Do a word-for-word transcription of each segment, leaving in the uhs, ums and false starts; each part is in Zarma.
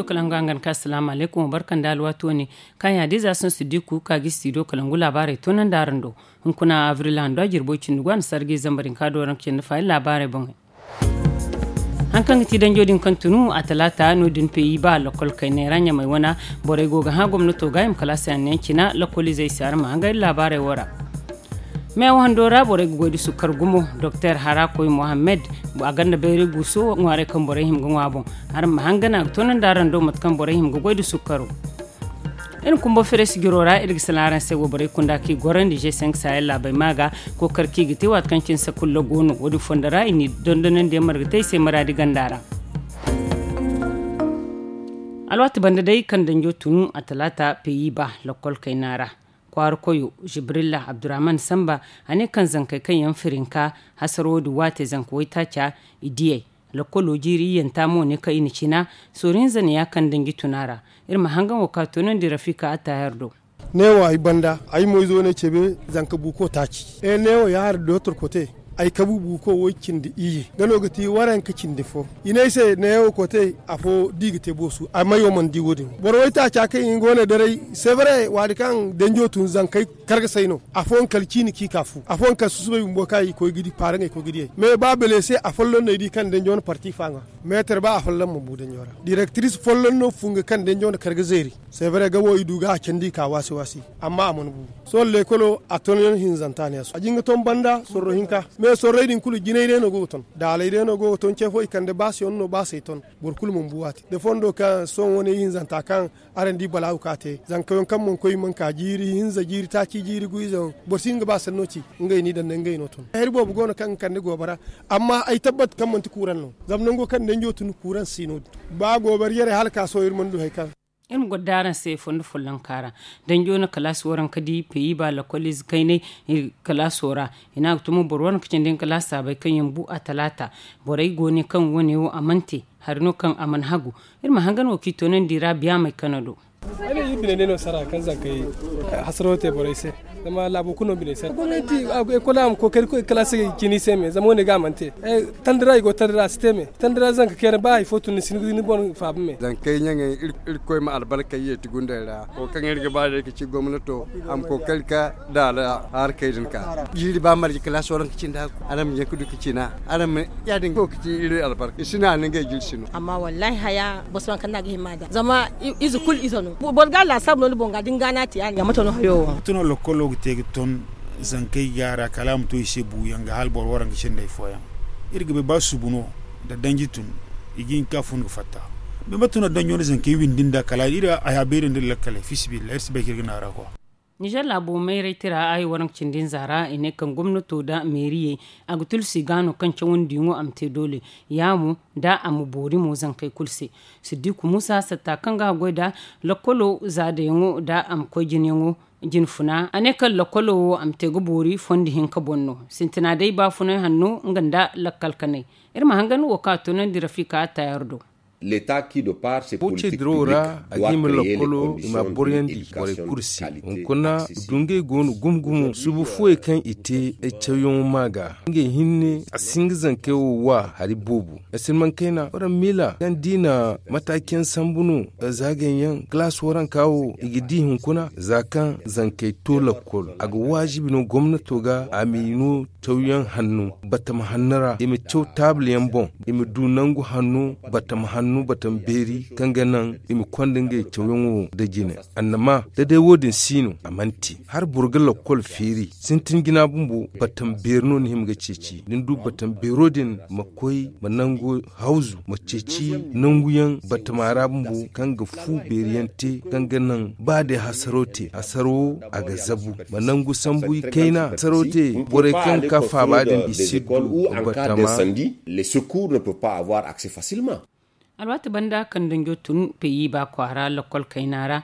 Kala nga hangan ka asalaamu alaykum wa barka nda alwaati wane, kaŋ yaadiiza sohõ siddiku ka ga i si do kala ngu laabaarey toonandi araŋ do. Hunkuna abril hando a jirbo cindi go a na sarga i zambar hinka do araŋ ga cindi faayi laabaarey boŋey. Haŋ kaŋ ga ti danjo din kaŋ tunu a talaata no- din peyi ba lakkol kayney ra ɲamay wana, borey go ga hã gomnato ga i ma kalaasi hanno yaŋ cina lakkolizey se araŋ ma hangay laabaarey wo ra. Meewa hando ra borey ga goy da sukkar gumo. Doktor harakoy mohammed, a gonda bayray guuso ŋwaaray kaŋ borey hima ga ŋwa boŋ. Araŋ ma hangan a ga toonandi araŋ do mate kaŋ borey hima ga goy da sukkaro. Iri na kumbo feres jiro ra iri ga salaŋ araŋ se wayborey kunda kaŋ i gorandi g cinq sahel laabey ma ga kookari kaŋ i ga te waati kaŋ cine sakulla go no wo- din fondo ra i n'i dondonandiyaŋ marga te i se maraadi ganda ra. Alwaati banda day kaŋ danjo tunu a talaata peyi ba lakkol kayna ra. Kwaara koyo jibrilla abdurrahman samba, a ne kaŋ zankey kaŋ yaŋ firinka hasaro din waate zanka waytaaca i diyey. Lakkolo jiiri iyyanta mo ne kaŋ i na cina sooru hinza ne ya kaŋ danji tuna ra. Iri ma hangan wo ka toonandi rafika attahir do. Neewo ay banda ay mo izo ne cebe zanka buuko taaci. Neewo ya hari dotor kote. Ay kabu buuko woy cindi iyye nga no ga ti waranka cindi fo. I ne ay se neewo kote afo da i ga te boosu a mayo mana di wo- din boro woy taaca kaŋ i go ne daray. Sevre waadi kaŋ danjo tun zankey kargasay no. Afooyaŋ kala ciini kaŋ i ka fu afooyaŋ kala susubay bumbo kaŋ i koy ga di paaraŋey koy ga diyey. Mais ba bele se afolloŋ no ay di kaŋ danjo na parti fa ŋwa. Meetar ba afolloŋ mana bu danjo ra direktiris folloŋ no funga kaŋ danjo na kar ga zeeri. Sevre ga wo i du ga a candi i ka waasi waasi. Amma a mana bu. Sohõ leekolo a ton yaŋ hinzanta ne a jinga ton banda sorro hinka. Mais sorrey din kulu jinay day no go ga ton daalay day no go ga ton ce fo i kande baasiyaŋ no baasey ton. Boro kulu mana bu waati da fondo kaŋ sohõ wane hinzanta kaŋ araŋ di balaawu ka te zanka yaŋ kaŋ mana koy i mana ka jiiri hinza jiiri taaci jiiri gu ize yaŋ. Boro si hin ga ba sanno ci. Ngey no i daŋ ne ngey no ton hari boobo go no kaŋ ga kande goobara. Amma ay tabbat kaŋ manti kuuraŋ no. Zama nango kaŋ danjo tun kuuraŋ si no- din ba goobara yare hala ka sohõ iri mana du hari kaŋ. Iri ma goro da araŋ se fondo follonka ra. Danjo na kalaasi waranka di peyi ba lakkol ize kayney kalaaso ra. I ne a ga tumo boro waranka cindi nga kalaasi saabay kaŋ yaŋ bu a talaata. Borey go ne kaŋ wane wo a mana te hari no kaŋ a mana hagu. Iri ma hangan wo kaŋ i toonandi ra biyaamey kano do. Ay ne iri bine day no sara kaŋ zankey hasaro te borey se. Zama laabo kulu no bine se gomnanti ekol a ma kookari kalaasi cine i se me zama wane ga a mana te. Tandira i go tandira a si te me. Tandira zanka kayna ba hari fo tun ni si ni boŋ faaba me. Zankey ɲaŋey irkoy ma albarkey yeeti gundey ra wo kaŋ iri ga ba day ga ci gomnato a ma kookari ka daala harkey din ka jiiri ba marje kalaasi waranka cindi hagu. Araŋ ma ɲaŋ ka du ka cina araŋ ma ya- din go ga ci iri albarka i si naani ngey jiri si no. Amma wallahi haya boro si waŋ kaŋ no a ga hima da zama ize kulu ize no. Boro ga a laasaabu no ni boŋ ga da ni ga no a te ya- din ya mate no hayo wo. Mate no lokkolo ga te ga ton zankey ga a ra kala a ma to i se buuyaŋ ga hala boro waranka cindey fooyaŋ. Iri ga bay ba subu no da danji tun i ga hin ka fun ga fatta. Mate no danjo no zankey windi nda kala iri a ya beeri nda lakkaley fiisabilillahi iri si bay kaŋ iri ga naara kwa. Nizer laabo mayray tira ay waranka cindi nza ra i ne kaŋ gomnato nda meeriyey a ga tulsi ga no kaŋ cawandi yaŋo a ma te doole. Ya mo da a ma boori mo zankey kulu se. Siddiku muusa satta kaŋ ga a goy nda lakkolo zaadayaŋo nda a ma koy jinayaŋo. Jinfuna a ne kaŋ lakkolo wo a ma te ga boori fondo hinka boŋ no. Sintina day baafunay hanno nga nda lakkal kanay. Iri ma hangan wo kaŋ a toonandi rafika attayar do. Fo ce dirawo ra a ga hima lakkolo i ma a boroyandi borey kulu se. Hunkuna dungey go no gumo gumo subu fuwey kaŋ i te ay cawyaŋo ma ga ngey hinne a si hin ga zankey wo wa hari boobo. Ay si ni mana kayna waranka miila kaŋ da i na mataaci yaŋ sambu no. Zaagayaŋ kalaasi waranka wo i ga di hunkuna za kaŋ zankey to lakkol a ga waajibi no gomnato ga a ma i no cawyaŋ hanno batama hanno ra i ma caw taabul yaŋ boŋ. I ma du nangu hanno batama hanno batama beeri kaŋ ga naŋ i ma konda ngey cawyaŋo da jine. Annama da day wo- din si no a mana te hala boro ga lakkol feeri sintin jina bumbo batama beeri no ni hima ga ceeci da ni du batama beero din ma koy ma nangu hawzu ma ceeci nangu yaŋ batama ra bumbo kaŋ ga fu beeri yaŋ te kaŋ ga naŋ ba day hasaro te hasaro wo a ga zabu ma nangu sambu i kayna hasaro te borey kaŋ ga ka faaba din i si du batama. Les secours ne peuvent pas avoir accès facilement. Alwaati banda kaŋ danjo tun peyi ba kwaara lakkol kayna ra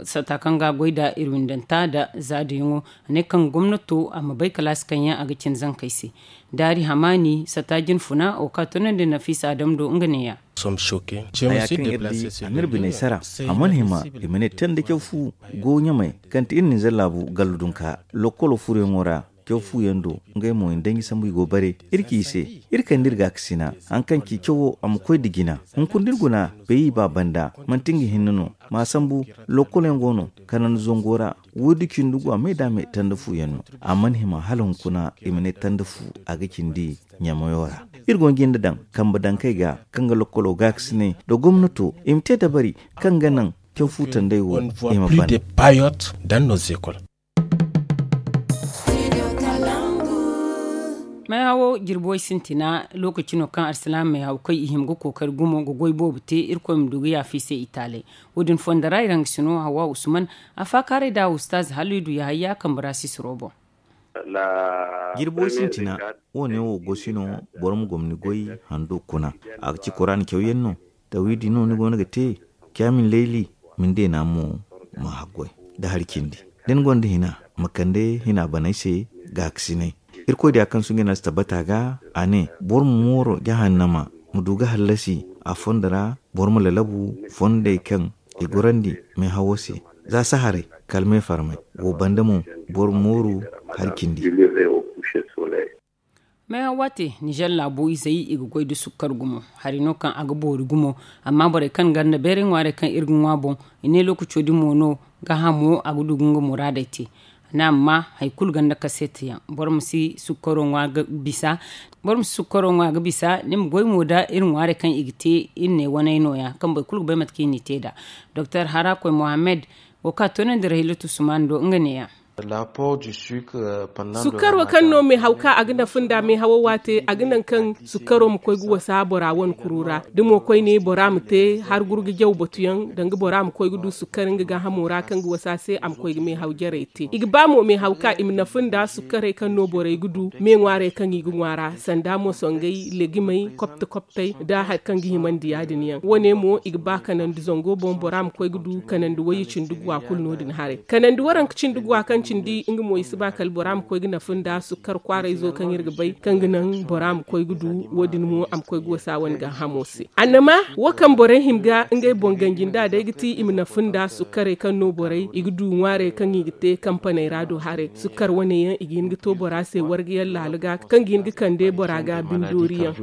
sata kaŋ ga a goy nda iri windanta nda zaadiyaŋo a ne kaŋ gomnato a ma bay kalaasi kaŋ yaŋ a ga cin zankey se. Daari hamaani sata jinfuna wo kaŋ a tunandi nafiisa adam do nga neeya. Haya kaŋ iri di a n'iri biney sara a mana hima i ma ne tanda caw fu go ɲamay kaŋ ti iri ninzeer laabu gallu dunka lokkolo furoyaŋo ra. Caw fu yaŋ do, ngey mo i na danji sambu i go bare. Iri ci i se, iri kande iri gaakasina, hari kaŋ ci cawo a ma koy nda jina. Hunkuna da iri guna, beeyi ba banda, manti nga hinne no. Ma sambu, lokkol yaŋ go no, kanandi zango ra, woy da cindi go a me da a me tanda fu yaŋ no. A mana hima hala hunkuna i ma ne tanda fu, a ga cindi ɲamayo ra. Iri go ga jinde daŋ kambe dankey ga, kaŋ ga lokkolo gaakasinay nda gomnato, i ma te dabari kaŋ ga naŋ caw fu tandey wo i ma ban. Meehawo jirbi way sintina, lookaci no kaŋ alsilaamey hawkey i hima ga kookari gumo ga goy boobo te. Irkoy ma du ga yaafa i se i taalay. Wo- din fonda ra iri hangasino hawa usman, a faakaaray nda ustaaz haliidu yahayya kambe ra sisiro boŋ. Jirbi way sintina, wo- ne wo gosi no, boro ma gomni goy hando kuna. A ga ci kuraana cawyaŋ no. Tawhidi no ni go no ga te. Caamin layli, ma ni deena mo ma haggoy nda hari cindi. Da ni gonda hina, ma kande hina baney se gaakasinay. Irkoy diya kaŋ suŋgay no a si tabbata ga, a ne, boro ma mooro jahannama, ma du ga hallasi a fondo ra. Boro ma lalabu fondey kaŋ i gorandi meehawo se, za saharay kala meefarmay. Wo banda mo, boro ma mooru hari cindi. Meehaw waate, nizer laabo izey i ga goy nda sukkar gumo. Hari no kaŋ a ga boori gumo. Amma borey kaŋ ganda beeray ŋwaarey kaŋ iri ga ŋwa boŋ, i ne lookaco din mo no gaahamo a ga du ga nga muraadey te. A ne amma hari kulu ganda kaseeta yaŋ, boro ma si sukkaro ŋwa ga bisa. Boro ma si sukkaro ŋwa ga bisa. Ni ma goy mo nda iri ŋwaarey kaŋ i ga te, iri ne waney nooya kaŋ boro kulu ga bay mate kaŋ i n'i te nd'a. Doktor harakoy mohammed, wo kaŋ a toonandi rahilatu sumaani do, nga neeya. Sukkaro kaŋ no meehaw ka a ga nafa nda meehawo waate, a ga naŋ kaŋ sukkaro ma koy ga wasa bora wane kuru ra. Da mo koyne bora ma te har gurgu jaw batuyaŋ, danga bora ma koy ga du sukkar nga gaahamo ra kaŋ ga wasa se a ma koy ga meehaw jarey te. I ga ba mo meehaw ka i ma nafa nda sukkarey kaŋ no borey ga du me ŋwaarey kaŋ i ga ŋwa ra, sanda mo songay legimey kopte koptey nda hari kaŋ ga himandi ya- din yaŋ. Wo- ne mo i ga ba kanandi zango boŋ bora ma koy ga du kanandi wayye cindi guwa kulu no- din haray. Kanandi waranka cindi guwa kaŋ cindi nga mo i si ba kala bora ma koy ga nafa nda sukkar kwaarayzo kaŋ iri ga bay kaŋ ga naŋ bora ma koy ga du. Wo- din mo a ma koy ga wasa wane gaahamo se. Annama wo kaŋ borey hima ga ngey boŋ ganji nda day ga ti i ma nafa nda sukkarey kaŋ no borey i ga du ŋwaarey kaŋ i ga te kampaney ra do haray. Sukkar wane yaŋ i ga hin ga to bora se warga yaŋ laala ga kaŋ ga hin ga kande bora ga bindoori yaŋ.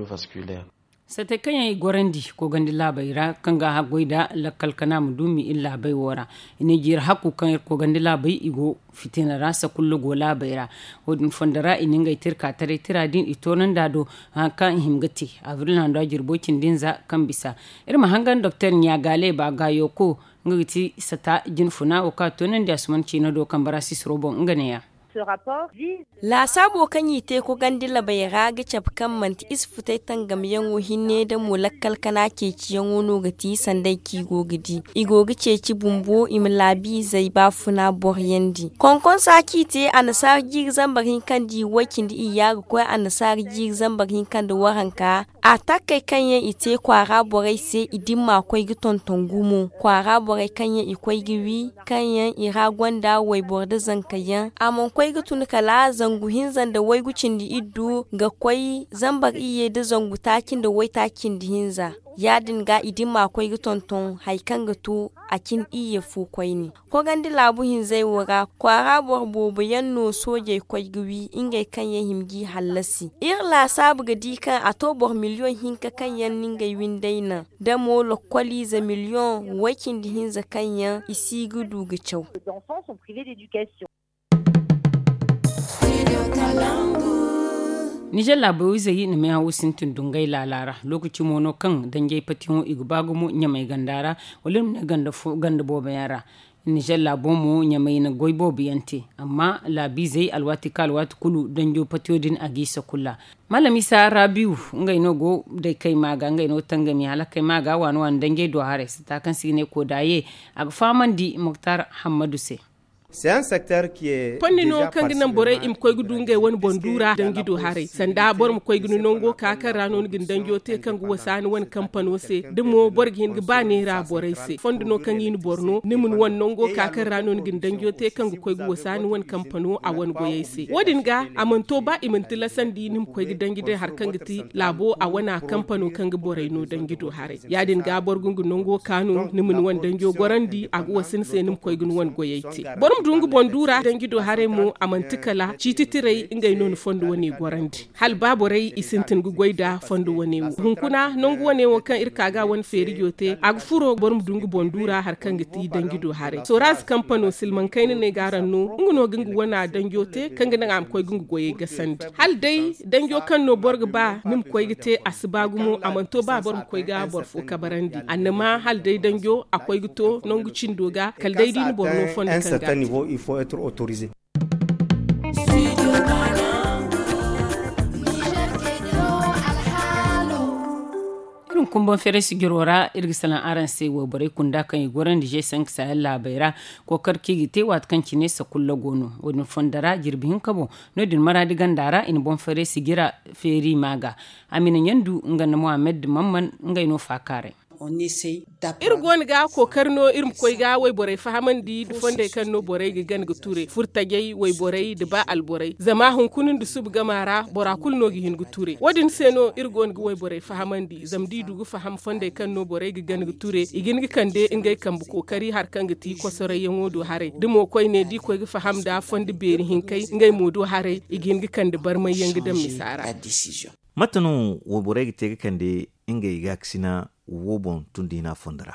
Satey kaŋ yaŋ i gorandi koogandi laabey ra kaŋ ga a haggoy nda lakkal kana ma duumi iri laabey wo ra. I ne jiiri hakku kaŋ iri koogandi laabey i go fitina ra sakullo go laabey ra. Wo- din fondo ra i na ngey tirka taray tira din i toonandi a do hari kaŋ i hima ga te. Abril hando a jirbo cindi nza kaŋ bisa. Iri ma hangan doktor ɲaagaale ba gaayo ko nga ga ti sata jinfuna wo kaŋ a toonandi a suman ciina do kambe ra sisiro boŋ nga neeya. Laasaabo kaŋ i te kogandi labey ra ga cabe kaŋ manti isfutey tangamyaŋo hinne da mo lakkal kana ceeciyaŋo no ga ti sanday kaŋ i go ga di. I go ga ceeci bumbo i ma laabiizey baafuna boroyandi. Konkonsa kaŋ i te annasaara jiiri zambar hinka nda i way cindi iyya ga koy annasaara jiiri zambar hinka nda waranka. A takkey kaŋ yaŋ i te kwaara borey se i dimma koy ga tonton gumo kwaara borey kaŋ yaŋ i koy ga wi kaŋ yaŋ i ra gonda wayboro nda zanka yaŋ a mana koy ga tun kala zangu hinza nda waygu cindi iddu ga koy zambar iyye nda zangu taaci nda waytaaci cindi hinza. Ya- din ga i dimma koy ga tonton hari kaŋ ga to a cin iyye fo koyne. Kogandi laabu hinzey wo ra kwaara boro boobo yaŋ no soojey koy ga wi ngey kaŋ yaŋ hima g'i hallasi. Iri laasaabu ga di kaŋ a to boro miliyoŋ hinka kaŋ yaŋ na ngey windey naŋ da mo lokkoliize miliyoŋ way cindi hinza kaŋ yaŋ i si ga du ga caw. Nizer laabo izey na meehawo sintin dungay laala ra. Lookaci mo no kaŋ danjey patiyaŋo i ga ba gumo ɲamay ganda ra wala iri ma ne ganda boobo yaŋ ra. Nizer laabo mo ɲamay na goy boobo yaŋ te. Amma laabiizey alwaati ka alwaati kulu danjo patiyo din a g'i sakulla. Malam isa rabiu, ngey no go day kayma ga ngey no tangami hala kayma ga waani waani danjey do haray sata kaŋ se i ga ne koodaye. A ga fahamandi moktar hammadu se. Fondi no kaŋ ga naŋ borey i ma koy ga du ngey wane boŋ duura danji do haray sanda boro ma koy ga ni nango ka kaŋ ra no ni ga ni danjo te kaŋ ga wasa ni wane kampano se. Da mo boro ga hin ga ba neera borey se fondi no kaŋ i na boro no ni ma ni wane nango ka kaŋ ra no ni ga ni danjo te kaŋ ga koy ga wasa ni wane kampano a wane goyey se. Wo- din ga a mana to ba i mana tilasandi ni ma koy ga danji day hari kaŋ ga ti laabo a wane kampano kaŋ ga borey no danji do haray. Ya- din ga boro ga nga nango kaanu ni ma ni wane danjo gorandi a ga wasa ni se ni ma koy ga ni wane goyey te. Boro Dungu boŋ duura danji do haray mo a manti kala ciiti tiray ngey no ni fondo wane gorandi. Hala ba borey i sintin ga goy nda fondo wane wo hunkuna nangu wane wo kaŋ iri ka ga wane feerijo te a ga furo boro ma du nga boŋ duura hari kaŋ ga ti danji do haray soraaz kampano silmaŋ kayna no ay ga araŋ no nga no ga nga wana danjo te kaŋ ga naŋ a ma koy ga nga goyey gasandi. Hala day danjo kaŋ no boro ga ba ni ma koy ga te a si ba gumo a mana to ba boro ma koy ga boro fo kabarandi annama hala day danjo a koy ga to nangu cindo ga kala day da i na boro no fondo kaŋ ga a te. Iri ma kumbaŋ feeray sijiro ra iri ga salaŋ araŋ se wayborey kunda kaŋ i gorandi g cinq sahel laabey ra. Kookar kaŋ i ga te waati kaŋ cine sakulla go no wo- din fondo ra jirbi hinka boŋ. No- din maraadi ganda ra i na boŋ feeray sijira feeri ma ga. Amina ɲandu nga nda mohammed mamman ngey no faakaaray. Iri go no ga kookari no iri ma koy ga wayborey fahamandi nda fondey kaŋ no borey ga gana ga ture furtajey wayborey nda ba alborey zama hunkuna nda suba gama ra bora kulu no ga hin ga ture wo- din se no iri go no ga wayborey fahamandi zama da i du ga faham fondey kaŋ no borey ga gana ga ture i ga hin ga kande ngey kambe kookari hari kaŋ ga ti kosorayyaŋo do haray da mo koyne da i koy ga faham nda fondo beeri hinkey ngey mo do haray i ga hin ga kande barmayyaŋ ga daŋ misa ra. Mate no wayborey ga te ga kande ngey gaakasina wo boŋ tun da hina fondo ra?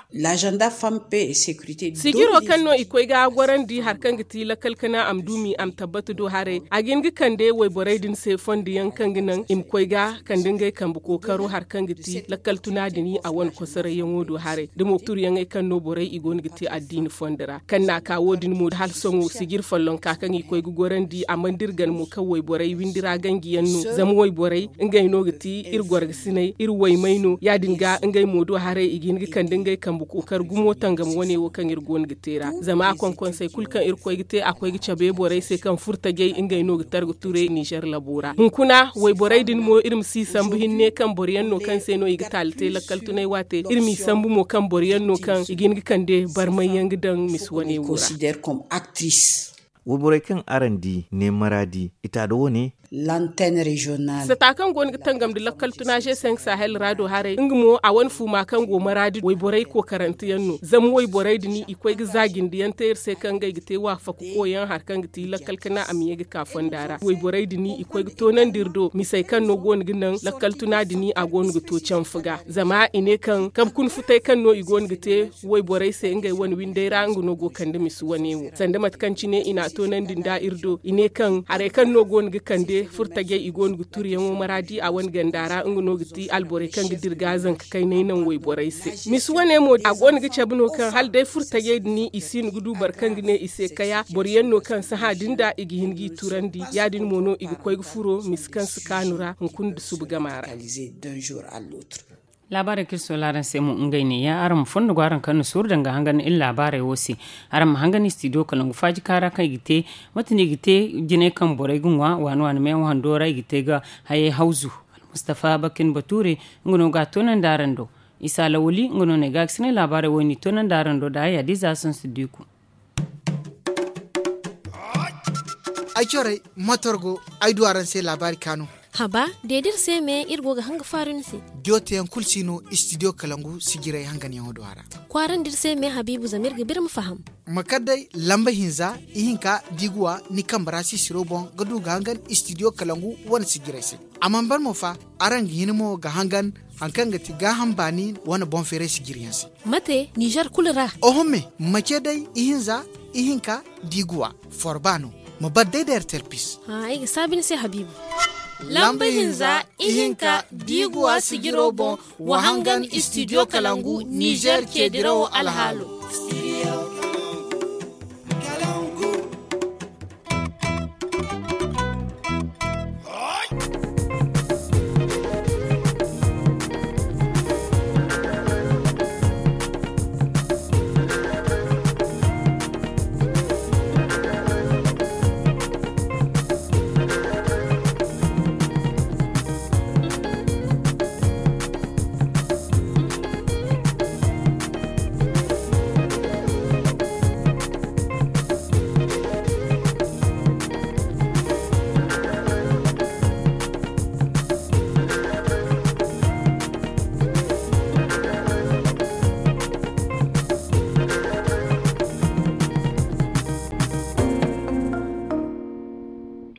Sijiro kaŋ no i koy ga gorandi hari kaŋ ga ti lakkal kana a ma duumi a ma tabbata do haray a ga hin ga kande wayborey din se fondo yaŋ kaŋ ga naŋ i ma koy ga kande ngey kambe kookaro hari kaŋ ga ti lakkal tuna din a wane kosarayyaŋo do haray da mo turyaŋey kaŋ no borey i go no ga te addiini fondo ra kaŋ na a ka wo- din mo hala sohõ sijir follonka kaŋ i koy ga gorandi a mana dira gana mo kaŋ wayborey windi ra ganjiyaŋ no zama wayborey ngey no ga ti iri gorgasiney iri waymey no ya- din ga ngey mo do haray i ga hin ga kande ngey kambe kookari gumo tangam wane wo kaŋ iri go no ga te ra zama a konkonsey kulu kaŋ iri koy ga te a koy ga cabe borey se kaŋ furtajey ngey no ga tara ga ture nizer labo ra hunkuna wayborey din mo iri ma si sambu hinne kaŋ boro yaŋ no kaŋ se no i ga taali te lakkal tunay waate iri m'i sambu mo kaŋ boro yaŋ no kaŋ i ga hin ga kande barmay yaŋ ga daŋ misi wane wo ra. Wayborey kaŋ araŋ di ne maraadi i ta da wane. Sata kaŋ go no ga tangam nda lakkal tuna g cinq sahel ra do haray nga mo a wane fuuma kaŋ go maraadi wayborey kookarante yaŋ no zama wayborey din i koy ga za jindiyaŋ te iri se kaŋ ngey ga te waafaku koyyaŋ hari kaŋ ga ti lakkal kana a ma ye ga ka fonda ra wayborey din i koy ga toonandi iri do misey kaŋ no go no ga naŋ lakkal tuna din a go no ga to canfa ga zama i ne kaŋ kabe kuna futay kaŋ no i go no ga te wayborey se ngey wane windey ra nga no go kande misi wane wo sanda mate kaŋ cine i n'a toonandi nda iri do i ne kaŋ harey kaŋ no go no ga kande furtajey i go no ga turiyaŋo maraadi a wane ganda ra nga no ga ti alborey kaŋ ga dira ga zanka kaynay naŋ wayborey se misi wane mo a go no ga cabe no kaŋ hala day furtajey din i si no ga du boro kaŋ ga ne i se kaya boro yaŋ no kaŋ sahã din da i ga hin g'i turandi ya- din mo no i ga koy ga furo misi kaŋ si kaanu ra hunkuna nda suba gama ra. Laabaarey kaŋ iri soola araŋ se mo ngey neeya araŋ ma fondo go araŋ kaŋ na suuru danga hangan iri laabaarey wo se. Araŋ ma hangan istidiyo kalangu faaji kaara kaŋ i ga te mate no i ga te jinay kaŋ borey ga ŋwa waani waani meewa hando ra i ga te ga hayey hawzu. Almustafa bakin bature nga no ga a toonandi araŋ do. Isa lawali nga no no ay ga a ga sinay laabaarey wo i n'i toonandi araŋ do da haya diiza sansi diiku. Ay corey motor go ay du araŋ se laabaari kaanu. Haba, de da iri se me iri go ga hanga faaru ni se. Joteyaŋ kulu si no istidiyo kalangu sijirey hanganyaŋo do a ra. Kwaarandi iri se me habiibu zama iri ga biri ma faham. Ma kar day lamba hinza ihinka da i ga wa ni kambe ra sisiro boŋ ga du ga hangan istidiyo kalangu wane sijirey se. A mana ban mo fa, araŋ ga hin mo ga hangan hari kaŋ ga ti gaaham baani wane boŋ feeray sijiriyaŋ se. Mate nizer kulu ra? Oho me, ma ce day ihinza ihinka da i ga wa forba no. Ma bar day da ertel pis. Ay ga saabi ni se habiibu. Lamba hinza ihinka da i ga wa sijiro boŋ, wa hangan istidiyo kalangu nizer ceedirawo alhaalo.